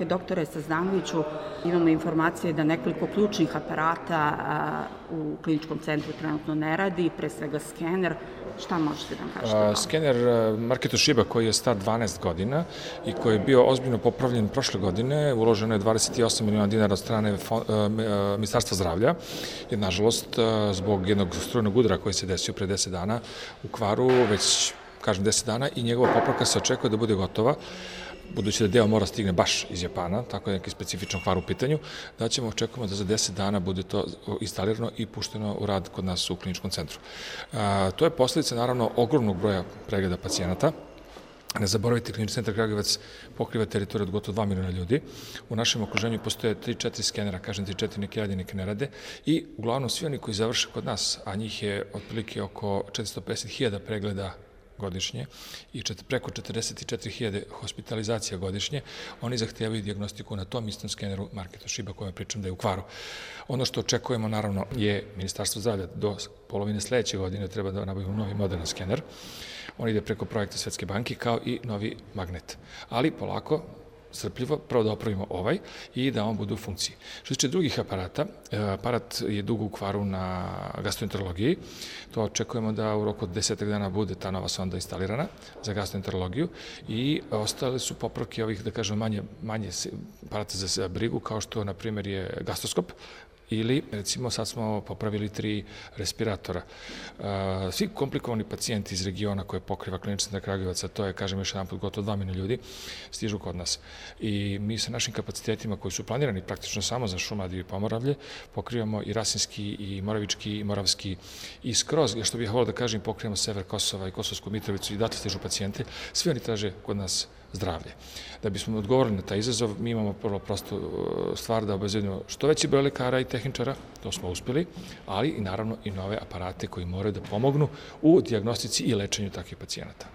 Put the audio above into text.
Doktore Sazdanoviću, imamo informacije da nekoliko ključnih aparata u kliničkom centru trenutno ne radi, pre svega skener. Šta možete da nam kažete? Skener marke Toshiba koji je star 12 godina i koji je bio ozbiljno popravljen prošle godine, uloženo je 28 miliona dinara od strane Ministarstva zdravlja, jer nažalost zbog jednog strujnog udara koji se desio pre 10 dana u kvaru, već kažem 10 dana, i njegova popravka se očekuje da bude gotova, budući da deo mora stigne baš iz Japana, tako je neki specifičan kvar u pitanju, da ćemo očekujemo da za 10 dana bude to instalirano i pušteno u rad kod nas u kliničkom centru. To je posledica, naravno, ogromnog broja pregleda pacijenata. Ne zaboravite, klinički centar Kragujevac pokriva teritoriju od gotovo 2 miliona ljudi. U našem okruženju postoje 3-4 skenera, kažem 3-4, neki radi, neki ne rade, i uglavnom svi oni koji završe kod nas, a njih je otprilike oko 450.000 pregleda godišnje i preko 44.000 hospitalizacija godišnje, oni zahtevaju dijagnostiku na tom istom skeneru marke Toshiba kojom pričam da je u kvaru. Ono što očekujemo, naravno, je Ministarstvo zdravlja do polovine sledeće godine treba da nabavimo novi moderan skener. On ide preko projekta Svetske banke kao i novi magnet. Ali polako, strpljivo, prvo da opravimo ovaj i da on bude u funkciji. Što se tiče drugih aparata, aparat je dugo u kvaru na gastroenterologiji. To očekujemo da u roku od 10 dana bude ta nova sonda instalirana za gastroenterologiju i ostale su popravke ovih, da kažem, manje aparata za brigu, kao što, na primjer, je gastroskop, ili, recimo, sad smo popravili 3 respiratora. Svi komplikovani pacijenti iz regiona koje pokriva klinički centar Kragujevac, a to je, kažem još jedan put, gotovo 2 miliona ljudi, stižu kod nas. I mi sa našim kapacitetima koji su planirani praktično samo za Šumadiju i Pomoravlje, pokrivamo i Rasinski, i Moravički, i Moravski, i skroz, što bih volio da kažem, pokrivamo sever Kosova i Kosovsku Mitrovicu, i datle stižu pacijenti. Svi oni traže kod nas zdravlje. Da bismo odgovorili na taj izazov, mi imamo prvo prostu stvar da obezbedimo što veći broj lekara i tehničara, to smo uspeli, ali i naravno i nove aparate koji moraju da pomognu u dijagnostici i lečenju takvih pacijenata.